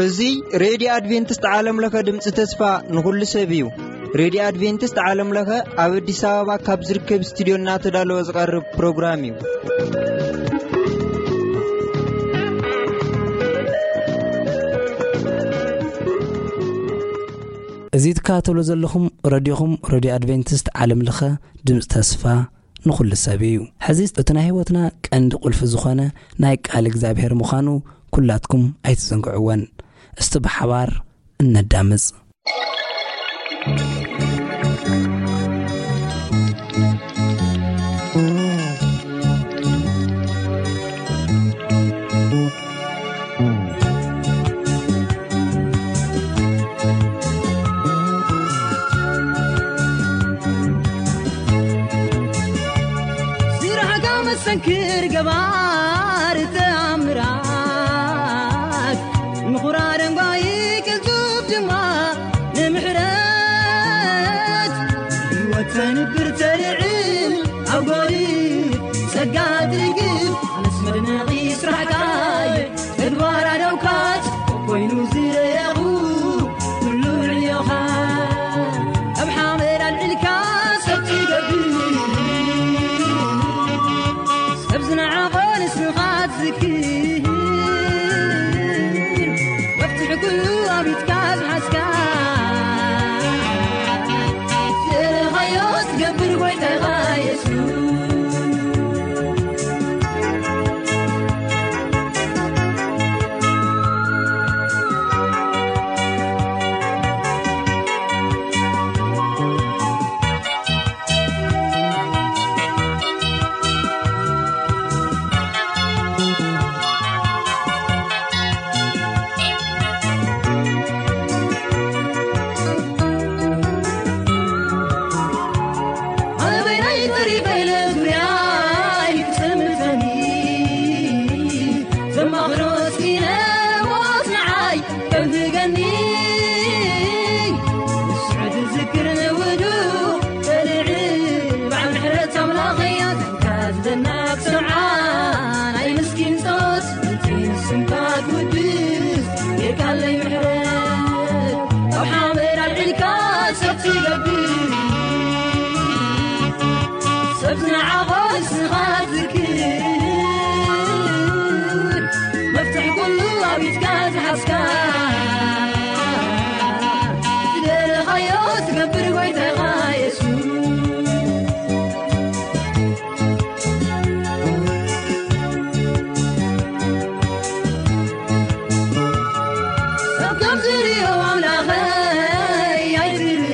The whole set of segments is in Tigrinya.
እዚ ሬድዮ ኣድቬንቲስት ዓለም ለኸ ድምፂ ተስፋ ንኹሉ ሰብ እዩ። ሬድዮ ኣድቬንቲስት ዓለም ለኸ ኣብ ኣዲስ ኣበባ ካብ ዝርከብ ስቱዲዮ እናተዳለወ ዝቐርብ ፕሮግራም እዩ። እዚ ትከታተሉ ዘለኹም ረድዮኹም ረድዮ ኣድቬንቲስት ዓለም ለኸ ድምፂ ተስፋ ንኹሉ ሰብ እዩ። ሕዚ እቲ ናይ ህይወትና ቀንዲ ቁልፊ ዝኾነ ናይ ቃል እግዚኣብሔር ምዃኑ ኩላትኩም ኣይትዘንግዕወን። እስቲ ብሓባር እነዳምፅ። ስራሕካ መሰንክር ገባር ተኣምራት፣ ምኹራር ደንጓዪ ቅልጡፍ ድማ ንምሕረት፣ ህይወት ተንብር ተልዕል ኣብ ጎሪ ጸጋ ትርግፍ፣ ኣነስ መድነቒ ስራሕካ እየ። ተግባር ኣደውካት ኮይኑ ዝረኣኹ፣ ኩሉ ዕዮኻ ኣብ ሓመድ ኣልዒልካ ሰብ ትገብር፣ ሰብ ዝነዓቖ ንስኻ ትዝክር፣ መፍትሒ ኩሉ ኣብ ኢድካ ዝሓዝካ፣ ዝደለኻዮ ትገብር ጎይታኻ የሱስ። ኣበይ ናይ ተሪፈ ኢለ ዙርያይ ክጥምተኒ፣ ዘማኽሮ ስኢነ ሞት ንዓይ ከብህገኒ። ንስዑ ትዝክር ንውዱ በልዕ በዓል ምሕረት ኣምላኸያ፣ ዘንካ ዝደናቅ ስምዓ ናይ ምስኪን ጸሎት፣ እቲ ንስምካ ክውድስ ጌርካለይ ምሕረት። ካብ ሓመድ ኣልዒልካ ሰብ ትገብር፣ ሰብ ዝነዓቖ ንስኻ ትዝክር፣ መፍትሒ ኩሉ ኣብ ኢድካ ዝሓዝካ፣ ዝደለኻዮ ትገብር ጎይታኻ የሱስ። ሰብ ከም ዝርእዮ ኣምላኸይ ኣይትርእ፣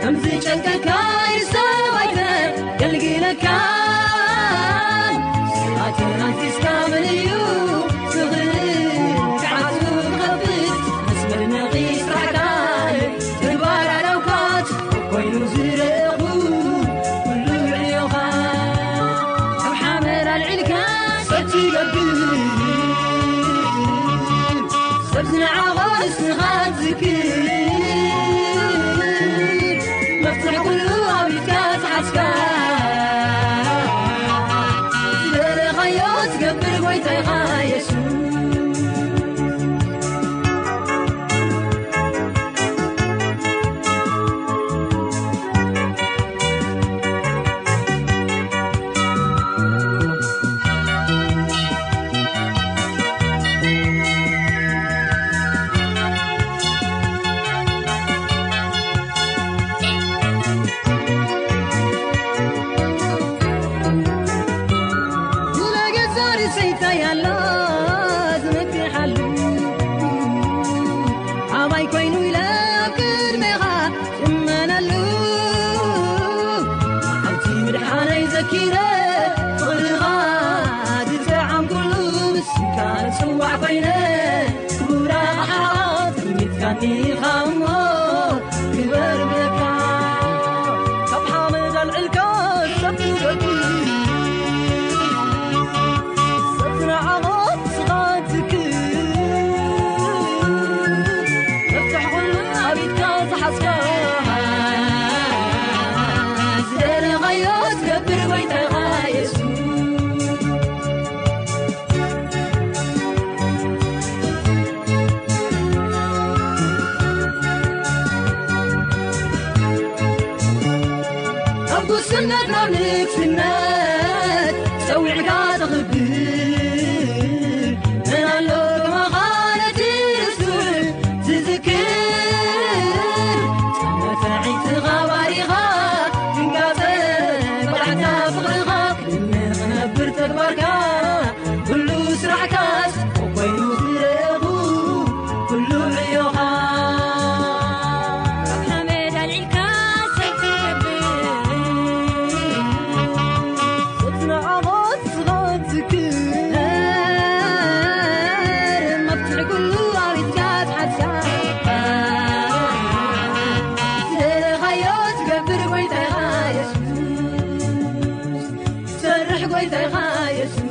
ከም ዝጨንቀካ ኢድ ሰብ ኣይተገልግለካ። ስራትን ኣንቲስካ መን እዩ ዝኽእል ክዓቱ ክኸፍት? መስመር ነቒ ስራሕካ ተግባር ኣዳውካት ኮይኑ ዝረእኹ ኩሉ ዕዮኻ ካብ ሓመድ ኣልዒልካ ሰብ ትገብር፣ ሰብ ዝነዓቖ ንስኻ ትዝክር፣ መፍትሒ ኩሉ ኣብ ኢድካ ዝሓዝካ ዝደለኻዮ ትገብር ጎይታኻ የሱስ። ስለገዛ ርእሰይታይ ኣሎ ዝመክሓሉ፣ ኣባይ ኮይኑ ኢለ ኣብ ቅድሜኻ ዝእመነሉ፣ መዓልቲ ምድሓነይ ዘኪረ ፍቕርኻ ዝጠዓምኩሉ፣ ምስካ ዝጽዋዕ ኮይነ ክቡር ኣቕሓ ትልሚትካኒ ኢኻ እሞ ክበር ብለካ። ካብ ሓመድ ኣልዕልካ ሰብ ትገብር፣ ሰብ ዝነዓቖ ስኻ ትክር፣ መፍትሕ ኩሉ ኣብ ኢድካ ዝሓዝካ። ስነት ናብ ንግስነት ጸዊዕካ ተኽብር። መን ኣሎ ከማኻ ነቲ ርሱዕ ዝዝክር? መፍትሒትኻ ባሪኻ ትንጋጸ፣ ብቕዓታ ፍቕርኻ ክነብር ተግባርካ ኩሉ ስራሕካስ ኮይኑ ክረኹ ኩሉ ዕዮኻ። ካብ ሓመድ ኣልዒልካ ሰብ ትገብር፣ ቁጽሪ ዓወት ስኻ ትዝክር፣ መፍትሒ ኩሉ ኣብ ኢድካ ትሓዝካ። ዝደለኻዮ ትገብር ጎይታኻ የሱስ፣ ትሰርሕ ጎይታኻ የሱስ።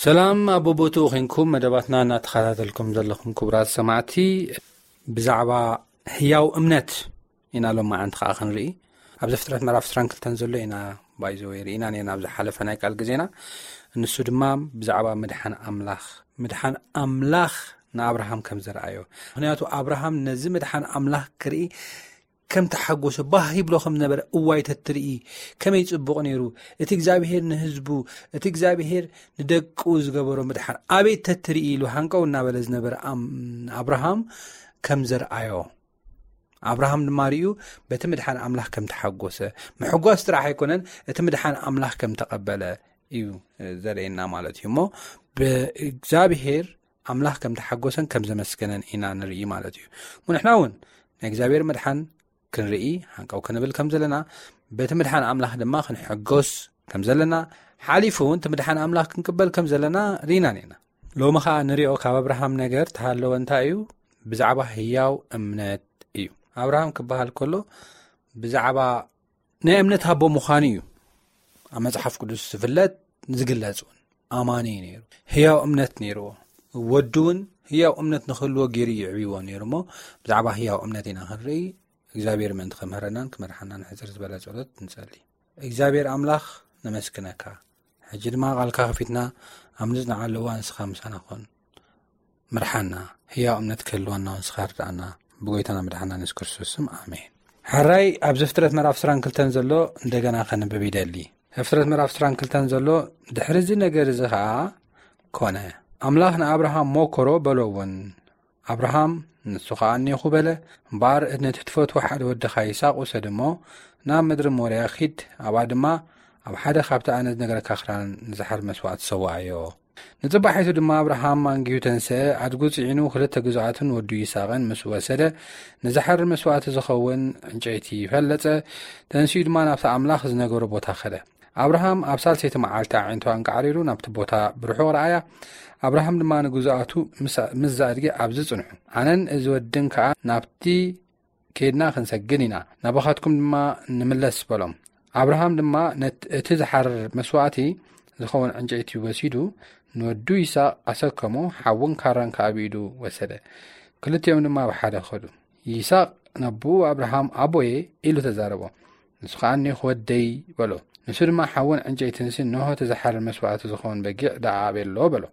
ሰላም ኣብ ቦቦትኡ ኮንኩም መደባትና እናተኸታተልኩም ዘለኹም ክቡራት ሰማዕቲ፣ ብዛዕባ ህያው እምነት ኢና ሎም መዓንቲ ከዓ ክንርኢ። ኣብ ዘፍጥረት ምዕራፍ ዕስራን ክልተን ዘሎ ኢና ባይዘወይ ርኢና ነና ኣብ ዝሓለፈ ናይ ቃል ግዜና። ንሱ ድማ ብዛዕባ ምድሓን ኣምላኽ፣ ምድሓን ኣምላኽ ንኣብርሃም ከም ዘርኣዮ። ምክንያቱ ኣብርሃም ነዚ ምድሓን ኣምላኽ ክርኢ ከም ተሓጎሰ፣ ባህ ይብሎ ከም ነበረ፣ እዋይ ተትርኢ ከመይ ጽቡቕ ነይሩ፣ እቲ እግዚኣብሄር ንህዝቡ፣ እቲ እግዚኣብሄር ንደቁ ዝገበሮ ምድሓን ኣቤት ተትርኢ ኢሉ ሃንቀው እናበለ ዝነበረ ኣም-፣ ኣብርሃም ከም ዘርኣዮ፣ ኣብርሃም ድማ ርእዩ በቲ ምድሓን ኣምላኽ ከም ተሓጎሰ፣ ምሕጓስ ጥራሕ ኣይኮነን፣ እቲ ምድሓን ኣምላኽ ከም ተቐበለ እዩ ዘርእየና ማለት እዩ። እሞ ብእግዚኣብሄር ኣምላኽ ከም ተሓጎሰን ከም ዘመስገነን ኢና ንርኢ ማለት እዩ። እሞ ንሕና እውን ናይ እግዚኣብሔር ምድሓን ክንርኢ ሃንቀው ክንብል ከም ዘለና፣ በቲ ምድሓን ኣምላኽ ድማ ክንሕጎስ ከም ዘለና፣ ሓሊፉ እውን እቲ ምድሓን ኣምላኽ ክንቅበል ከም ዘለና ርኢና ነና። ሎሚ ኸዓ ንሪኦ ካብ ኣብርሃም ነገር ተሃለወ እንታይ እዩ? ብዛዕባ ህያው እምነት እዩ። ኣብርሃም ክበሃል ከሎ ብዛዕባ ናይ እምነት ኣቦ ምዃኑ እዩ ኣብ መጽሓፍ ቅዱስ ዝፍለጥ፣ ዝግለጽ እውን። ኣማኒ እዩ ነይሩ። ህያው እምነት ነይርዎ። ወዱ እውን ህያው እምነት ንክህልዎ ገይሩ ይዕብይዎ ነይሩ። እሞ ብዛዕባ ህያው እምነት ኢና ክንርኢ። እግዚኣብሔር ምእንቲ ከምህረናን ክመርሓናን ሕፅር ዝበለ ጸሎት ንጸሊ። እግዚኣብሔር ኣምላኽ ነመስግነካ። ሕጂ ድማ ቃልካ ከፊትና ኣብ ንጽንዓሉ እዋን ንስኻ ምሳና ኹን። ምርሓና፣ ህያው እምነት ክህልወና ንስኻ ርድኣና። ብጎይታና መድሓና የሱስ ክርስቶስ ስም፣ ኣሜን። ሕራይ ኣብ ዘፍጥረት ምዕራፍ ዕስራን ክልተን ዘሎ እንደገና ከንብብ ይደሊ። ዘፍጥረት ምዕራፍ ዕስራን ክልተን ዘሎ፣ ድሕሪ እዚ ነገር እዚ ኸኣ ኮነ፣ ኣምላኽ ንኣብርሃም ሞከሮ በሎ እውን። ኣብርሃም ንሱ ኸኣ እኔኹ በለ። እምበኣር ነቲ ትፈትዎ ሓደ ወድኻ ይስሐቅ ውሰድ እሞ ናብ ምድሪ ሞርያ ኺድ፣ ኣብኣ ድማ ኣብ ሓደ ካብቲ ኣነ ዝነግረካ ክራን ንዝሓር መስዋእቲ ሰውኣዮ። ንጽባሒቱ ድማ ኣብርሃም ኣንጊሁ ተንስአ፣ ኣድጉ ጽዒኑ ክልተ ግዙኣትን ወዱ ይስሐቅን ምስ ወሰደ፣ ንዝሓር መስዋእቲ ዝኸውን ዕንጨይቲ ፈለጸ። ተንሲኡ ድማ ናብቲ ኣምላኽ ዝነገሮ ቦታ ኸደ። ኣብርሃም ኣብ ሳልሰይቲ መዓልቲ ኣዒንቱ ኣንቃዕሪሩ ናብቲ ቦታ ብርሑቕ ረኣያ። ኣብርሃም ድማ ንግዙኣቱ ምስ፣ ምስ ኣድጊ ኣብዚ ጽንሑ፣ ኣነን እዚ ወድን ከኣ ናብቲ ኬድና ክንሰግድ ኢና፣ ናባኻትኩም ድማ ንምለስ በሎም። ኣብርሃም ድማ ነት-፣ እቲ ዝሓርር መስዋእቲ ዝኸውን ዕንጨይቲ ወሲዱ፣ ንወዱ ይስሐቅ ኣሰከሞ፣ ሓውን ካራን ከኣ ብኢዱ ወሰደ። ክልቲኦም ድማ ብሓደ ኸዱ። ይስሐቅ ነቦኡ ኣብርሃም፣ ኣቦየ ኢሉ ተዛረቦ። ንሱ ኸኣ እኔኹ ወደይ በሎ። ንሱ ድማ ሓውን ዕንጨይትንሲ፣ እንሆ እቲ ዝሓርር መስዋእቲ ዝኸውን በጊዕ ደኣ ኣበሎ በሎ።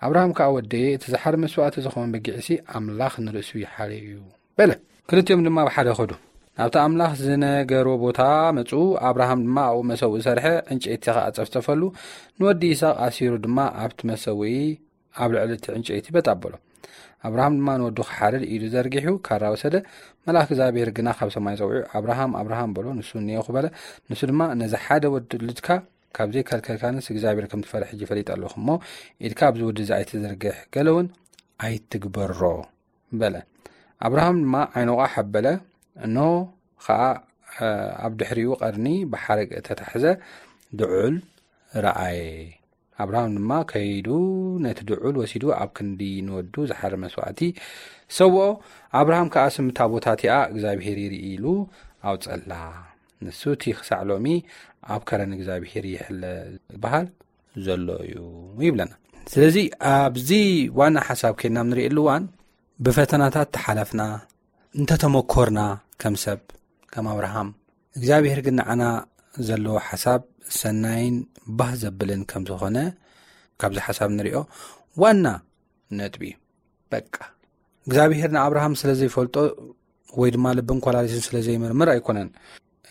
ኣብርሃም ከኣ፣ ወደየ፣ እቲ ዝሓርር መስዋእቲ ዝኸውን በጊዕሲ ኣምላኽ ንርእሱ ይሓርዮ እዩ በለ። ክልቲኦም ድማ ብሓደ ኸዱ። ናብቲ ኣምላኽ ዝነገሮ ቦታ መጹ። ኣብርሃም ድማ ኣብኡ መሰውኢ ሰርሐ፣ ዕንጨይቲ ኸኣ ጸፍጸፈሉ። ንወዲ ይስሐቅ ኣሲሩ ድማ ኣብቲ መሰውኢ ኣብ ልዕሊ እቲ ዕንጨይቲ በጥ ኣበሎ። ኣብርሃም ድማ ንወዱ ክሓርድ ኢዱ ዘርጊሑ ካራ ወሰደ። መልኣክ እግዚኣብሔር ግና ካብ ሰማይ ጸዊዑ፣ ኣብርሃም፣ ኣብርሃም በሎ። ንሱ እኔኹ በለ። ንሱ ድማ፣ ነዚ ሓደ ወዲ ውሉድካ ካብ ዘይከልከልካንስ እግዚኣብሔር ከም ትፈርሕ ሕጂ ፈሊጠ ኣለኹ እሞ፣ ኢድካ ኣብዚ ወዲ እዚ ኣይትዘርግሕ፣ ገለ እውን ኣይትግበሮ በለ። ኣብርሃም ድማ ዓይኑ ቋሕ ኣበለ፣ እንሆ ኸኣ፣ እ፣ ኣብ ድሕሪኡ ቀርኒ ብሓረግ እተታሕዘ ድዑል ረኣየ። ኣብርሃም ድማ ከይዱ ነቲ ድዑል ወሲዱ ኣብ ክንዲ ንወዱ ዝሓር መስዋእቲ ሰውኦ። ኣብርሃም ከኣ ስምታ ቦታ እቲኣ እግዚኣብሄር ይርኢ ኢሉ ኣውጸላ። ንሱ እቲ ክሳዕ ሎሚ ኣብ ከረን እግዚኣብሄር ይሕለ ዝበሃል ዘሎ እዩ ይብለና። ስለዚ ኣብዚ ዋና ሓሳብ ከይድና ንርእየሉ እዋን ብፈተናታት ተሓለፍና እንተተመኮርና ከም ሰብ ከም ኣብርሃም እግዚኣብሄር ግን ንዓና ዘለዎ ሓሳብ ሰናይን ባህ ዘብልን ከም ዝኾነ ካብዚ ሓሳብ ንሪኦ ዋና ነጥቢ እዩ። በቃ እግዚኣብሄር ንኣብርሃም ስለ ዘይፈልጦ ወይ ድማ ልብን ኮላሊትን ስለ ዘይምርምር ኣይኮነን።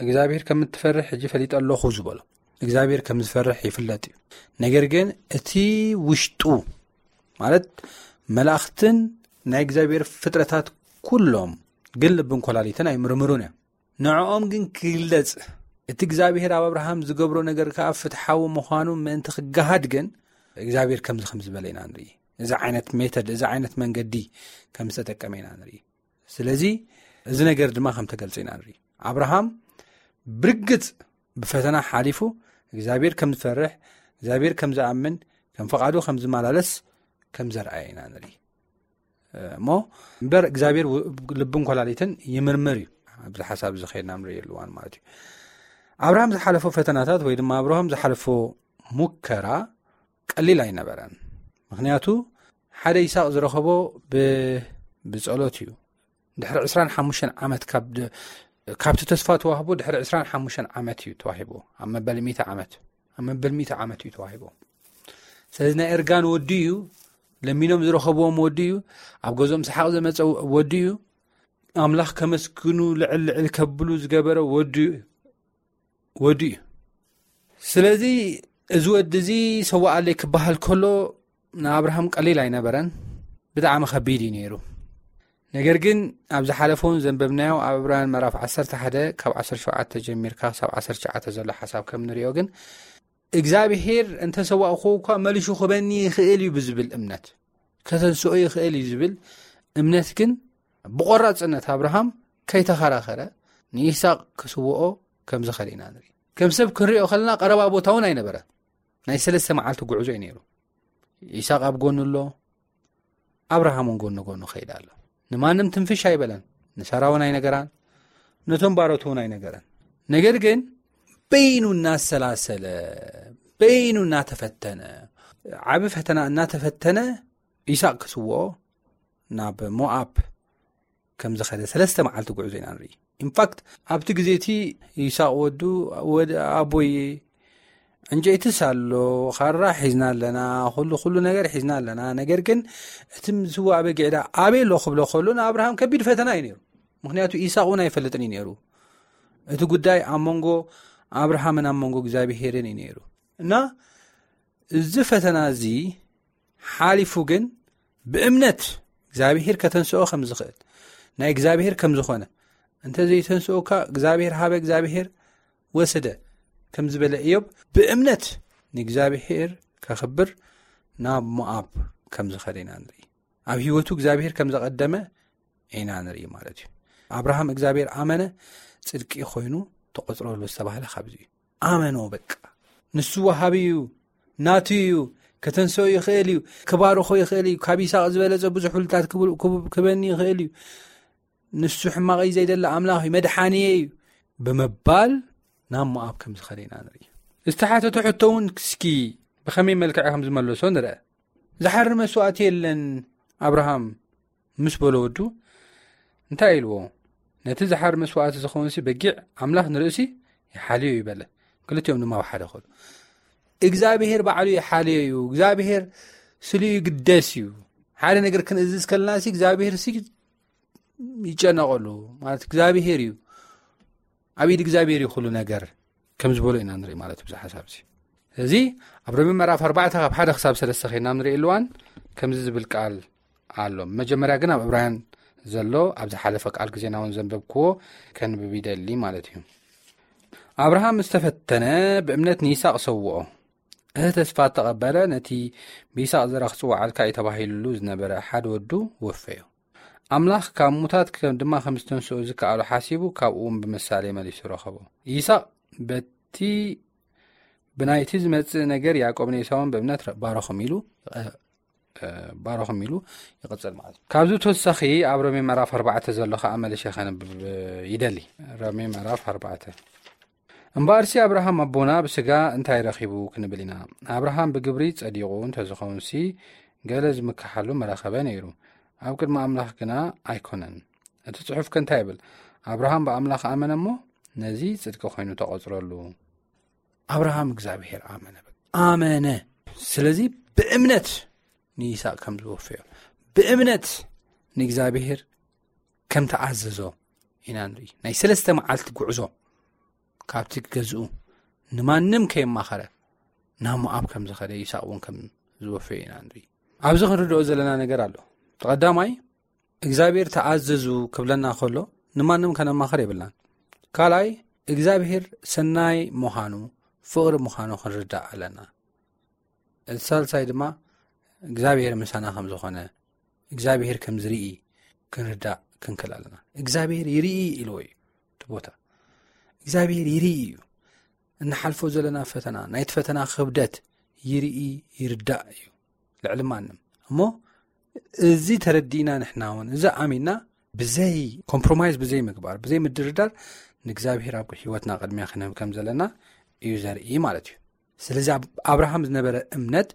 እግዚኣብሄር ከም እትፈርሕ ሕጂ ፈሊጠ ኣለኹ ዝበሎ እግዚኣብሄር ከም ዝፈርሕ ይፍለጥ እዩ። ነገር ግን እቲ ውሽጡ ማለት መላእኽትን ናይ እግዚኣብሄር ፍጥረታት ኩሎም ግን ልብን ኮላሊትን ኣይምርምሩን እዮም። ንዕኦም ግን ክግለጽ እቲ እግዚኣብሄር ኣብ ኣብርሃም ዝገብሮ ነገር ከኣ ፍትሓዊ ምዃኑ ምእንቲ ክገሃድ ግን እግዚኣብሄር ከምዚ ከም ዝበለ ኢና ንርኢ። እዚ ዓይነት ሜተድ እዚ ዓይነት መንገዲ ከም ዝተጠቀመ ኢና ንርኢ። ስለዚ እዚ ነገር ድማ ከም ተገልጸ ኢና ንርኢ። ኣብርሃም ብርግጽ ብፈተና ሓሊፉ እግዚኣብሄር ከም ዝፈርሕ እግዚኣብሄር ከም ዝኣምን ከም ፈቓዱ ከም ዝመላለስ ከም ዘርኣየ ኢና ንርኢ። እሞ እምበር እግዚኣብሔር ው- ልብን ኮላሊትን ይምርምር እዩ። ኣብዚ ሓሳብ እዚ ከይድና ንርእየሉ እዋን ማለት እዩ። ኣብርሃም ዝሓለፎ ፈተናታት ወይ ድማ ኣብርሃም ዝሓለፎ ሙከራ ቀሊል ኣይነበረን። ምክንያቱ ሓደ ይስሐቅ ዝረኸቦ ብ- ብጸሎት እዩ። ድሕሪ ዕስራን ሓሙሽተን ዓመት ካብ ድ- ካብቲ ተስፋ ተዋህቦ ድሕሪ ዕስራን ሓሙሽተን ዓመት እዩ ተዋሂቦ። ኣብ መበል ሚእቲ ዓመት ኣብ መበል ሚእቲ ዓመት እዩ ተዋሂቦ። ስለዚ ናይ እርጋን ወዲ እዩ። ለሚኖም ዝረኸብዎም ወዲ እዩ። ኣብ ገዝኦም ሰሓቕ ዘመፀ ወዲ እዩ። ኣምላኽ ከመስግኑ ልዕል ልዕል ከብሉ ዝገበረ ወዲ እዩ። ወዲ እዩ። ስለዚ እዚ ወዲ እዚ ሰዋኣለይ ክበሃል ከሎ ንኣብርሃም ቀሊል ኣይነበረን። ብጣዕሚ ከቢድ እዩ ነይሩ። ነገር ግን ኣብ ዝሓለፈ እውን ዘንበብናዮ ኣብ ዕብራውያን ምዕራፍ ዓሰርተ ሓደ ካብ ዓሰርተ ሸውዓተ ጀሚርካ ክሳብ ዓሰርተ ትሽዓተ ዘሎ ሓሳብ ከም ንሪኦ ግን እግዚኣብሄር እንተሰዋእኹ እኳ መሊሹ ክበኒ ይኽእል እዩ ብዝብል እምነት ከተንስኦ ይኽእል እዩ ዝብል እምነት ግን ብቆራፅነት ኣብርሃም ከይተኸራኸረ ንይስሐቅ ክስውኦ ከም ዝኸደ ኢና ንርኢ። ከም ሰብ ክንሪኦ ከለና ቀረባ ቦታ እውን ኣይነበረ። ናይ ሰለስተ መዓልቲ ጉዕዞ እዩ ነይሩ። ይስሐቅ ኣብ ጎኑ ኣሎ፣ ኣብርሃም እውን ጎኑ ጎኑ ከይድ ኣሎ። ንማንም ትንፍሽ ኣይበለን። ንሳራ እውን ኣይነገራን፣ ነቶም ባሮት እውን ኣይነገረን። ነገር ግን በይኑ እናሰላሰለ በይኑ እናተፈተነ ዓብ ፈተና እናተፈተነ ይስሐቅ ክስውኦ ናብ ሞኣብ ከም ዝኸደ ሰለስተ መዓልቲ ጉዕዞ ኢና ንርኢ። ኢንፋክት ኣብቲ ግዜ እቲ ይስሐቅ ወዱ ወደ ኣቦይ ዕንጨይትስ ኣሎ፣ ካራ ሒዝና ኣለና፣ ኩሉ ኩሉ ነገር ሒዝና ኣለና። ነገር ግን እቲ ዝስዋእ በጊዕ ዳ ኣበይ ኣሎ ክብሎ ከሎ ንኣብርሃም ከቢድ ፈተና እዩ ነይሩ። ምክንያቱ ይስሐቅ እውን ኣይፈልጥን እዩ ነይሩ። እቲ ጉዳይ ኣብ መንጎ ኣብርሃምን ኣብ መንጎ እግዚኣብሄርን እዩ ነይሩ። እና እዚ ፈተና እዚ ሓሊፉ ግን ብእምነት እግዚኣብሄር ከተንስኦ ከም ዝኽእል ናይ እግዚኣብሄር ከም ዝኾነ እንተ ዘይተንስኦካ እግዚኣብሄር ሃበ እግዚኣብሄር ወሰደ ከም ዝበለ እዮብ ብእምነት ንእግዚኣብሔር ከኽብር ናብ ሞኣብ ከም ዝኸደ ኢና ንርኢ። ኣብ ህይወቱ እግዚኣብሔር ከም ዘቐደመ ኢና ንርኢ ማለት እዩ። ኣብርሃም እግዚኣብሔር ኣመነ፣ ጽድቂ ኮይኑ ተቖጽረሉ ዝተባህለ ካብዚ እዩ። ኣመኖ በቃ። ንሱ ወሃቢ እዩ፣ ናቱ እዩ፣ ከተንስኦ ይኽእል እዩ፣ ክባርኾ ይኽእል እዩ። ካብ ይስሐቅ ዝበለጸ ብዙሕ ውልታት ክብ- ክብ- ክበኒ ይኽእል እዩ። ንሱ ሕማቐይ ዘይደለ ኣምላኽ እዩ፣ መድሓንየ እዩ ብምባል ናብ ሞኣብ ከም ዝኸደ ኢና ንርኢ። ዝተሓተተ ሕቶ እውን እስኪ ብኸመይ መልክዕ ከም ዝመለሶ ንርአ። ዝሓሪ መስዋእቲ የለን ኣብርሃም ምስ በሎ ወዱ እንታይ ኢልዎ? ነቲ ዝሓሪ መስዋእቲ ዝኸውንሲ በጊዕ ኣምላኽ ንርእሲ ይሓልዮ እዩ በለ። ክልቲኦም ድማ ኣብ ሓደ ከሉ እግዚኣብሔር ባዕሉ ይሓልዮ እዩ። እግዚኣብሔር ስሉ ይግደስ እዩ። ሓደ ነገር ክንእዝዝ ከለና ሲ እግዚኣብሔር ሲ ይጨነቐሉ ማለት እግዚኣብሔር እዩ። ኣብ ኢድ እግዚኣብሔር እዩ ኩሉ ነገር ከም ዝበሎ ኢና ንርኢ ማለት እዩ። ብዚ ሓሳብ እዚ እዚ ኣብ ሮሜ ምዕራፍ ኣርባዕተ ካብ ሓደ ክሳብ ሰለስተ ኸይና ንርኢ ኣለዋን ከምዚ ዝብል ቃል ኣሎ። መጀመርያ ግን ኣብ ዕብራውያን ዘሎ ኣብ ዝሓለፈ ቃል ግዜና እውን ዘንበብክዎ ከንብብ ይደሊ ማለት እዩ። ኣብርሃም ዝተፈተነ ብእምነት ንይስሐቅ ሰውኦ። እቲ ተስፋ እተቐበለ ነቲ ብይስሐቅ ዘራ ክጽውዓልካ እዩ ተባሂሉሉ ዝነበረ ሓደ ወዱ ወፈዮ። ኣምላኽ ካብ ሙታት ከም ድማ ከም ዝተንስኦ ዝከኣሎ ሓሲቡ ካብኡ እውን ብምሳሌ መሊሱ ረኸቦ። ይስሐቅ በቲ ብናይቲ ዝመጽእ ነገር ያዕቆብ ንኤሳውን ብእምነት ባረኹም ኢሉ ባረኹም ኢሉ ይቕጽል ማለት እዩ። ካብዚ ተወሳኺ ኣብ ሮሜ ምዕራፍ ኣርባዕተ ዘሎ ከዓ መለሸ ከነብብ ይደሊ። ሮሜ ምዕራፍ ኣርባዕተ። እምበኣርሲ ኣብርሃም ኣቦና ብስጋ እንታይ ረኺቡ ክንብል ኢና? ኣብርሃም ብግብሪ ጸዲቑ እንተዝኸውን ሲ ገለ ዝምክሓሉ ምረኸበ ነይሩ። ኣብ ቅድሚ ኣምላኽ ግና ኣይኮነን። እቲ ጽሑፍ ከ እንታይ ይብል? ኣብርሃም ብኣምላኽ ኣመነ እሞ ነዚ ጽድቂ ኮይኑ ተቖጽረሉ። ኣብርሃም እግዚኣብሔር ኣመነ ኣመነ። ስለዚ ብእምነት ንይስቅ ከም ዝወፈዮ፣ ብእምነት ንእግዚኣብሔር ከም ተኣዘዞ ኢና ንርኢ። ናይ ሰለስተ መዓልቲ ጉዕዞ ካብቲ ገዝኡ ንማንም ከየማኸረ ናብ ሞኣብ ከም ዝኸደ፣ ይስቅ እውን ከም ዝወፈዮ ኢና ንርኢ። ኣብዚ ክንርድኦ ዘለና ነገር ኣሎ። ቀዳማይ እግዚኣብሔር ተኣዘዙ ክብለና ከሎ ንማንም ከነማኸር የብልናን። ካልኣይ እግዚኣብሔር ሰናይ ምዃኑ፣ ፍቕሪ ምዃኑ ክንርዳእ ኣለና። እቲ ሳልሳይ ድማ እግዚኣብሔር ምሳና ከም ዝኾነ፣ እግዚኣብሔር ከም ዝርኢ ክንርዳእ ክንክል ኣለና። እግዚኣብሔር ይርኢ ኢልዎ እዩ እቲ ቦታ። እግዚኣብሔር ይርኢ እዩ። እንሓልፎ ዘለና ፈተና፣ ናይቲ ፈተና ክብደት ይርኢ ይርዳእ እዩ ልዕሊ ማንም። እሞ እዚ ተረዲእና ንሕና እውን እዚ ኣሚንና ብዘይ ኮምፕሮማይዝ፣ ብዘይ ምግባር፣ ብዘይ ምድርዳር ንእግዚኣብሔር ኣብ ህይወትና ቅድሚያ ክንህብ ከም ዘለና እዩ ዘርኢ ማለት እዩ። ስለዚ ኣብ ኣብርሃም ዝነበረ እምነት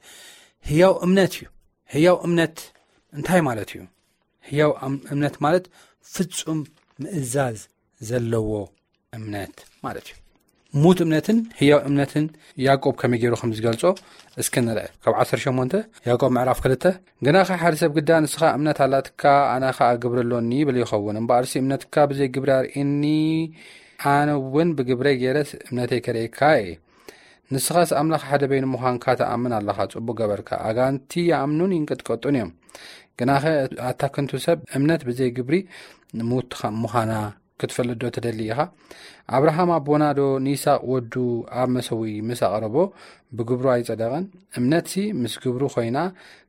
ህያው እምነት እዩ። ህያው እምነት እንታይ ማለት እዩ? ህያው እም- እምነት ማለት ፍጹም ምእዛዝ ዘለዎ እምነት ማለት እዩ። ሙት እምነትን ህያው እምነትን ያዕቆብ ከመይ ገይሩ ከም ዝገልጾ እስኪ ንርአ። ካብ ዓሰርተ ሸሞንተ ያዕቆብ ምዕራፍ ክልተ፣ ግናኸ ሓደ ሰብ ግዳ ንስኻ እምነት ኣላትካ ኣነ ኸኣ ግብሪ ኣሎኒ ይብል ይኸውን። እምበኣርሲ እምነትካ ብዘይ ግብሪ ኣርእየኒ፣ ኣነ እውን ብግብረይ ገይረስ እምነተይ ከርእየካ እየ። ንስኻስ ኣምላኽ ሓደ በይኑ ምዃንካ ትኣምን ኣለኻ፣ ጽቡቕ ገበርካ። ኣጋንንቲ ይኣምኑን ይንቅጥቀጡን እዮም። ግናኸ ኣታ ከንቱ ሰብ፣ እምነት ብዘይ ግብሪ ሙት ምዃና ክትፈልጥ ዶ ትደሊ ኢኻ? ኣብርሃም ኣቦና ዶ ንይስሐቅ ወዱ ኣብ መሰውኢ ምስ ኣቕረቦ ብግብሩ ኣይጸደቐን? እምነትሲ ምስ ግብሩ ኮይና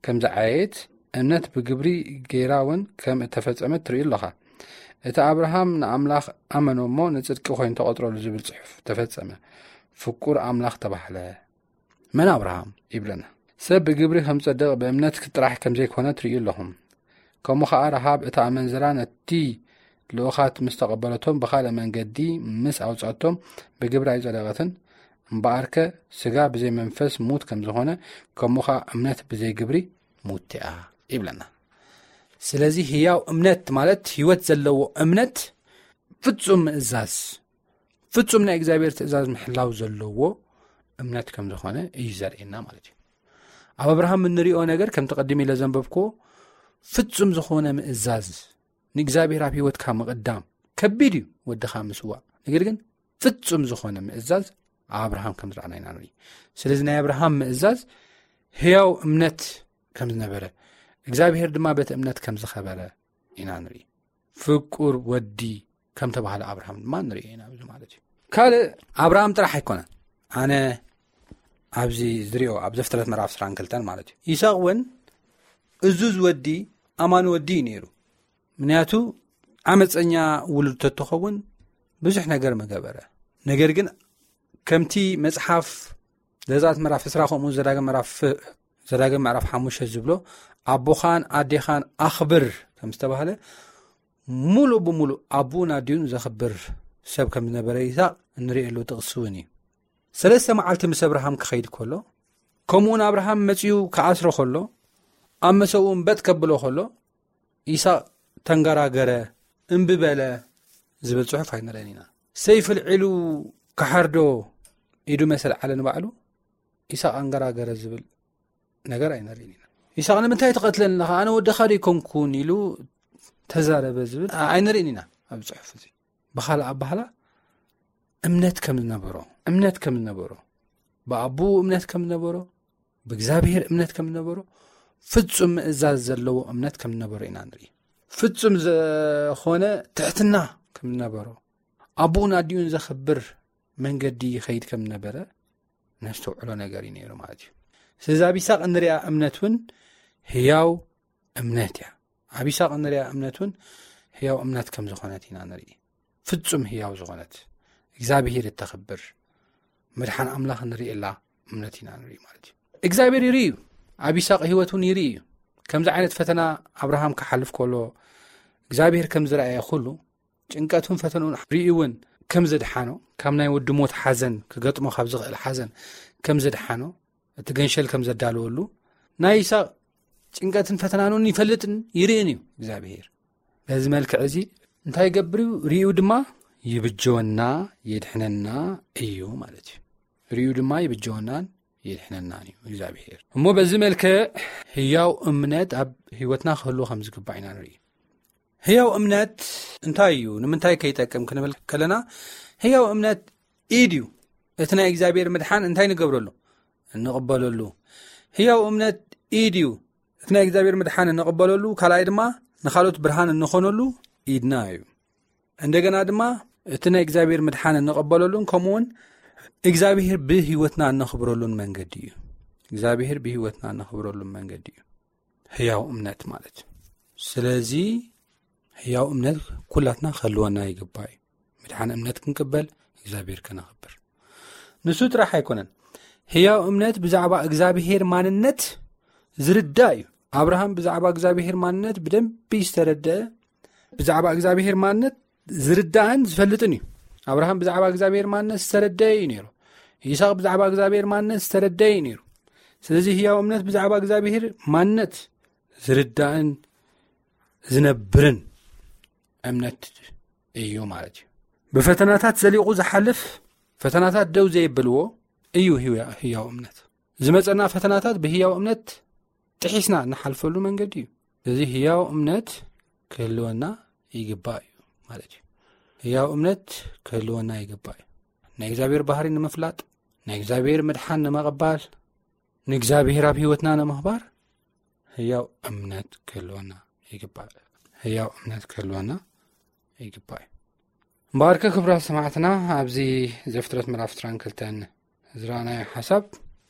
ከም ዝዓየየት፣ እምነት ብግብሪ ገይራ እውን ከም እተፈጸመት ትርኢ ኣለኻ። እቲ ኣብርሃም ንኣምላኽ ኣመኖ እሞ ንጽድቂ ኮይኑ ተቐጽረሉ ዝብል ጽሑፍ ተፈጸመ። ፍቁር ኣምላኽ ተባህለ። መን ኣብርሃም ይብለና? ሰብ ብግብሪ ከም ጸድቕ ብእምነት ጥራሕ ከም ዘይኮነ ትርእዩ ኣለኹም። ከምኡ ኸኣ ረሃብ እታ ኣመንዝራ ነቲ ልኡኻት ምስ ተቐበለቶም ብኻልእ መንገዲ ምስ ኣውጻቶም ብግብሪ ኣይጸደቐትን። እምበኣርከ ስጋ ብዘይ መንፈስ ሙት ከም ዝኾነ ከምኡ ኸኣ እምነት ብዘይ ግብሪ ሙት እያ ይብለና። ስለዚ ህያው እምነት ማለት ህይወት ዘለዎ እምነት፣ ፍጹም ምእዛዝ፣ ፍጹም ናይ እግዚኣብሔር ትእዛዝ ምሕላው ዘለዎ እምነት ከም ዝኾነ እዩ ዘርእየና ማለት እዩ። ኣብ ኣብርሃም እንሪኦ ነገር ከምቲ ቀድም ኢለ ዘንበብክዎ ፍጹም ዝኾነ ምእዛዝ፣ ንእግዚኣብሔር ኣብ ህይወትካ ምቕዳም ከቢድ እዩ፣ ወድኻ ምስዋእ። ነገር ግን ፍጹም ዝኾነ ምእዛዝ ኣብ ኣብርሃም ከም ዝረኣና ኢና ንርኢ። ስለዚ ናይ ኣብርሃም ምእዛዝ ህያው እምነት ከም ዝነበረ፣ እግዚኣብሔር ድማ በቲ እምነት ከም ዝኸበረ ኢና ንርኢ። ፍቁር ወዲ ከም ተባህለ ኣብርሃም ድማ ንርኢ ኢና ኣብዚ ማለት እዩ። ካልእ ኣብርሃም ጥራሕ ኣይኮነን። ኣነ ኣብዚ ዝሪኦ ኣብ ዘፍጥረት ምዕራፍ ዕስራን ክልተን ማለት እዩ። ይስሐቅ እውን እዙዝ ወዲ ኣማኒ ወዲ እዩ ነይሩ። ምክንያቱ ዓመፀኛ ውሉድ ተትኸውን ብዙሕ ነገር ምገበረ። ነገር ግን ከምቲ መፅሓፍ ዘዛት ምዕራፍ ዕስራ ከምኡ ዘዳግም ምዕራፍ ዘዳግም ምዕራፍ ሓሙሽተ ዝብሎ ኣቦኻን ኣዴኻን ኣኽብር ከም ዝተባህለ ሙሉእ ብሙሉእ ኣቦኡን ኣዲኡን ዘኽብር ሰብ ከም ዝነበረ ይስሐቅ እንርእየሉ ጥቕሲ እውን እዩ። ሰለስተ መዓልቲ ምስ ኣብርሃም ክኸይድ ከሎ ከምኡውን ኣብርሃም መጺኡ ክኣስሮ ከሎ ኣብ መሰብኡ እምበጥ ከብሎ ከሎ ይስሐቅ ተንገራገረ፣ እምቢ በለ ዝብል ጽሑፍ ኣይንርእን ኢና። ሰይፊ ኣልዒሉ ክሓርዶ ኢዱ መሰል ዓለ ንባዕሉ ይስሐቅ ኣንገራገረ ዝብል ነገር ኣይንርእን ኢና። ይስሐቅ ንምንታይ ትቐትለኒ ኣለኻ ኣነ ወድኻ ዶ ኣይኮንኩን ኢሉ ተዛረበ ዝብል ኣይንርእን ኢና ኣብ ጽሑፍ እዚ። ብኻልእ ኣባህላ እምነት ከም ዝነበሮ እምነት ከም ዝነበሮ ብኣቦኡ እምነት ከም ዝነበሮ ብእግዚኣብሔር እምነት ከም ዝነበሮ ፍጹም ምእዛዝ ዘለዎ እምነት ከም ዝነበሮ ኢና ንርኢ። ፍጹም ዝኾነ ትሕትና ከም ዝነበሮ ኣቦኡን ኣዲኡን ዘኽብር መንገዲ ይኸይድ ከም ዝነበረ ነስተውዕሎ ነገር እዩ ነይሩ ማለት እዩ። ስለዚ ኣብ ይስሐቅ እንሪኣ እምነት እውን ህያው እምነት እያ። ኣብ ይስሐቅ እንሪኣ እምነት እውን ህያው እምነት ከም ዝኾነት ኢና ንርኢ። ፍጹም ህያው ዝኾነት እግዚኣብሔር እተኽብር መድሓን ኣምላኽ ንርእየላ እምነት ኢና ንርኢ ማለት እዩ። እግዚኣብሔር ይርኢ እዩ። ኣብ ይስሐቅ ህይወት እውን ይርኢ እዩ። ከምዚ ዓይነት ፈተና ኣብርሃም ክሓልፍ ከሎ እግዚኣብሔር ከም ዝረኣየ ኩሉ፣ ጭንቀቱን ፈተንኡን ርእዩ እውን ከም ዘድሓኖ፣ ካብ ናይ ወዲ ሞት ሓዘን፣ ክገጥሞ ካብ ዝኽእል ሓዘን ከም ዘድሓኖ፣ እቲ ገንሸል ከም ዘዳለወሉ፣ ናይ ይስሐቅ ጭንቀትን ፈተናን እውን ይፈልጥን ይርእን እዩ እግዚኣብሔር። በዚ መልክዕ እዚ እንታይ ይገብር እዩ? ርእዩ ድማ ይብጀወና፣ የድሕነና እዩ ማለት እዩ። ርእዩ ድማ ይብጀወናን የድሕነናን እዩ እግዚኣብሔር። እሞ በዚ መልክዕ ህያው እምነት ኣብ ህይወትና ክህልዎ ከም ዝግባእ ኢና ንርኢ። ህያው እምነት እንታይ እዩ? ንምንታይ ከይጠቅም ክንብል ከለና፣ ህያው እምነት ኢድ እዩ። እቲ ናይ እግዚኣብሔር ምድሓን እንታይ ንገብረሉ? እንቕበለሉ። ህያው እምነት ኢድ እዩ። እቲ ናይ እግዚኣብሔር ምድሓን እንቕበለሉ፣ ካልኣይ ድማ ንኻልኦት ብርሃን እንኾነሉ ኢድና እዩ። እንደገና ድማ እቲ ናይ እግዚኣብሔር ምድሓን እንቕበለሉን ከምኡውን እግዚኣብሔር ብህይወትና እነኽብረሉን መንገዲ እዩ። እግዚኣብሔር ብህይወትና እነኽብረሉን መንገዲ እዩ ህያው እምነት ማለት። ስለዚ ህያው እምነት ኩላትና ክህልወና ይግባእ እዩ። ምድሓን እምነት ክንቅበል፣ እግዚኣብሔር ከነኽብር። ንሱ ጥራሕ ኣይኮነን። ህያው እምነት ብዛዕባ እግዚኣብሔር ማንነት ዝርዳእ እዩ። ኣብርሃም ብዛዕባ እግዚኣብሔር ማንነት ብደንቢ ዝተረደአ፣ ብዛዕባ እግዚኣብሔር ማንነት ዝርዳእን ዝፈልጥን እዩ። ኣብርሃም ብዛዕባ እግዚኣብሔር ማንነት ዝተረደአ እዩ ነይሩ። ይስሐቅ ብዛዕባ እግዚኣብሔር ማንነት ዝተረደአ እዩ ነይሩ። ስለዚ ህያው እምነት ብዛዕባ እግዚኣብሔር ማንነት ዝርዳእን ዝነብርን እምነት እዩ ማለት እዩ። ብፈተናታት ዘሊቑ ዝሓልፍ፣ ፈተናታት ደው ዘይብልዎ እዩ ህያ-፣ ህያው እምነት። ዝመጸና ፈተናታት ብህያው እምነት ጥሒስና እንሓልፈሉ መንገዲ እዩ። እዚ ህያው እምነት ክህልወና ይግባእ እዩ ማለት እዩ። ህያው እምነት ክህልወና ይግባእ እዩ። ናይ እግዚኣብሔር ባህሪ ንምፍላጥ፣ ናይ እግዚኣብሔር ምድሓን ንምቕባል፣ ንእግዚኣብሔር ኣብ ህይወትና ንምኽባር ህያው እምነት ክህልወና ይግባእ። ህያው እምነት ክህልወና ይግባእ እዩ። እምበኣርከ ክቡራት ሰማዕትና፣ ኣብዚ ዘፍጥረት ምዕራፍ ዕስራን ክልተን ዝረኣናዮ ሓሳብ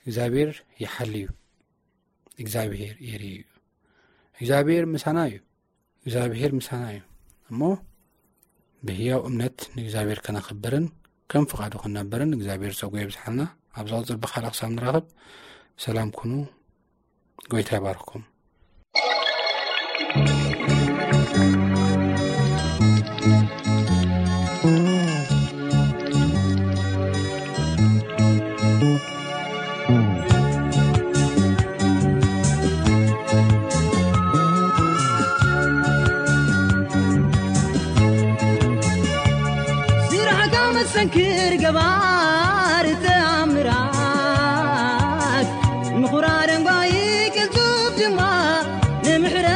እግዚኣብሔር ይሓሊ እዩ። እግዚኣብሔር የርኢ እዩ። እግዚኣብሔር ምሳና እዩ። እግዚኣብሔር ምሳና እዩ። እሞ ብህያው እምነት ንእግዚኣብሔር ከነኽብርን ከም ፍቓዱ ክንነብርን እግዚኣብሔር ጸጉ የብዝሓልና። ኣብ ዝቕጽል ብኻልእ ክሳብ ንራኸብ ሰላም ኩኑ። ጎይታ ይባርኽኩም። ስራሕካ መሰንክር ገባር ተኣምራት፣ ምኹራ ደንጓይ ቅልጡፍ ድማ ንምሕረት፣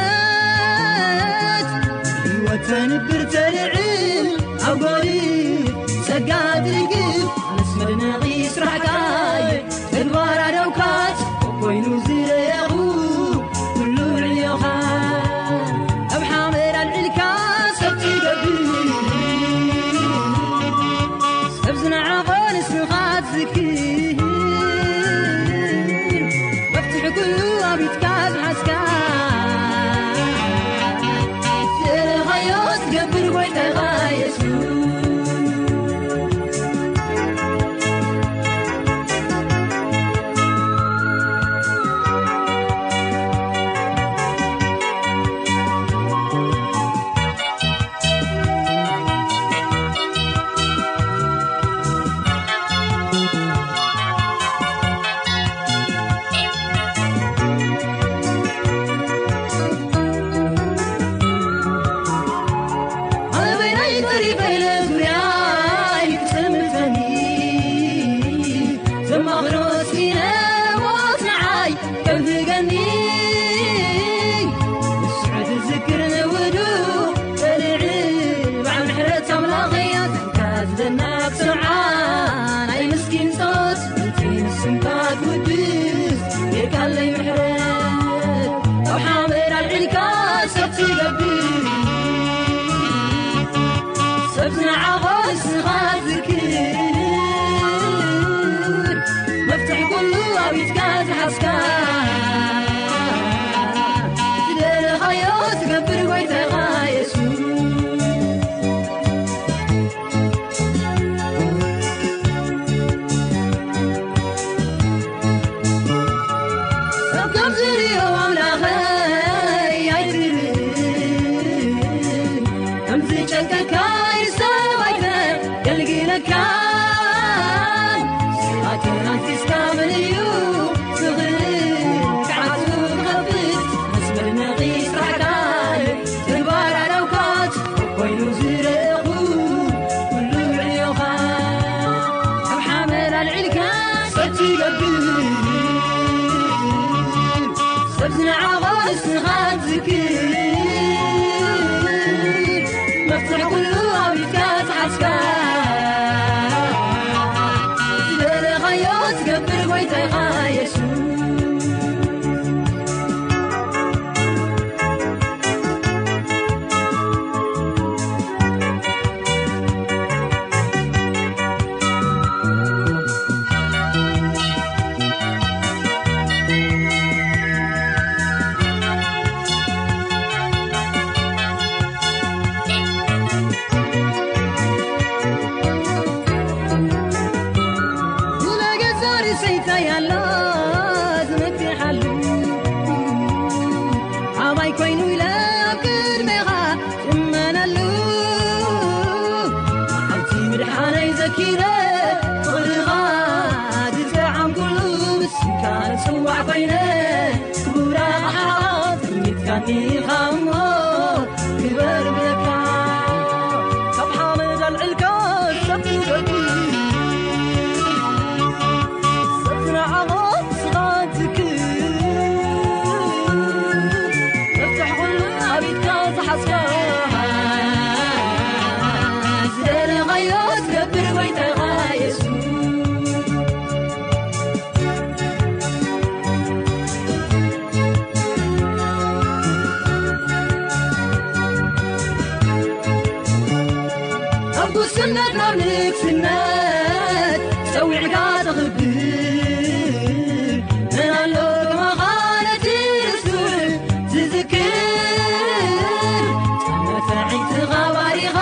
ህይወት ተንብር ተልዕል ኣብ ጎሪ ጸጋ ትርግፍ፣ ኣነስ መድነቒ ስራሕካ እየ። ተግባር ኣደውካት ኮይኑ ዝረኣኹ ኩሉ ንዕዮኻ። ኣብ ሓመድ ኣልዒልካ ሰብ ትገብር፣ ሰብ ዝነዓቖ ንስኻ ትዝክር። መፍትሒ ኩሉ ኣብ ኢድካ ዝሓዝካ፣ ዝደለኻዮ ትገብር ጎይታኻ የሱስ። ኣበይናይ ተሪፈ ኢለ ዙርያይ ክጥምተኒ፣ ዘማኽሮ ስኢነ ሞት ንዓይ ከብህገኒ። ንስዑ ትዝክር ንውዱ በልዕ በዓል ምሕረት ኣምላኸይ ኣዘንካ ዝደና ክሰምዓ ናይ ምስኪን ጸሎት እቲ ንስምካ ትውድስ ጌርካለይ ምሕረት። ካብ ሓመድ ኣልዒልካ ሰብ ትገብር፣ ሰብ ዝነዓቖ ንስኻ ትዝክር። መፍትሒ ኩሉ ኣብ ኢድካ ዝሓዝካ፣ ዝደለኻዮ ትገብር ጎይታኻ የሱስ። ኢኻ እሞ ግበር ብለካ፣ ካብ ሓመድ ኣልዕልካ ሰብ ትውደድ፣ ሰብ ዝነዓቖ ስኻ ትክር፣ መፍትሕ ኩሉ ኣብ ኢድካ ዝሓዝካ፣ ዝደለኻዮ ትገብር ጎይታኻ የሱስ። ካብ ጉስነት ናብ ንግስነት ጸዊዕካ ተኽብር፣ መን ኣሎ ከማኻ ነቲ ርሱን ዝዝክር? ጻመ ተዒትኻ ባሪኻ